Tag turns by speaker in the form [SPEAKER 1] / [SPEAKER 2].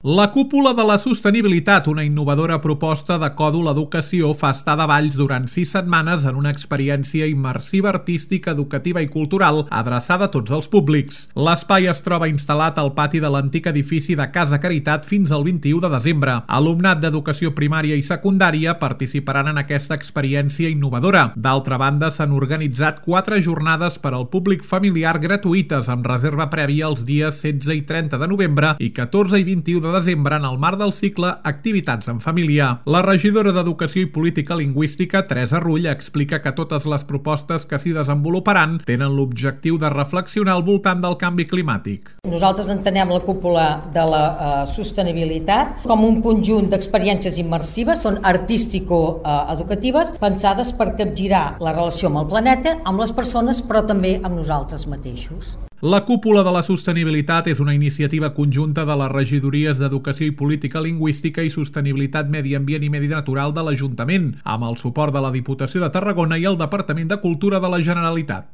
[SPEAKER 1] La Cúpula de la Sostenibilitat, una innovadora proposta de Còdol Educació, fa estar de Valls durant 6 setmanes en una experiència immersiva artística, educativa i cultural adreçada a tots els públics. L'espai es troba instal·lat al pati de l'antic edifici de Casa Caritat fins al 21 de desembre. Alumnat d'educació primària i secundària participaran en aquesta experiència innovadora. D'altra banda, s'han organitzat 4 jornades per al públic familiar gratuïtes amb reserva prèvia els dies 16 i 30 de novembre i 14 i 21 de desembre en el marc del cicle Activitats en Família. La regidora d'Educació i Política Lingüística, Teresa Rull, explica que totes les propostes que s'hi desenvoluparan tenen l'objectiu de reflexionar al voltant del canvi climàtic.
[SPEAKER 2] Nosaltres entenem la Cúpula de la Sostenibilitat com un conjunt d'experiències immersives, són artístico-educatives, pensades per capgirar la relació amb el planeta, amb les persones, però també amb nosaltres mateixos.
[SPEAKER 1] La Cúpula de la Sostenibilitat és una iniciativa conjunta de les regidories d'Educació i Política Lingüística i Sostenibilitat, Medi Ambient i Medi Natural de l'Ajuntament, amb el suport de la Diputació de Tarragona i el Departament de Cultura de la Generalitat.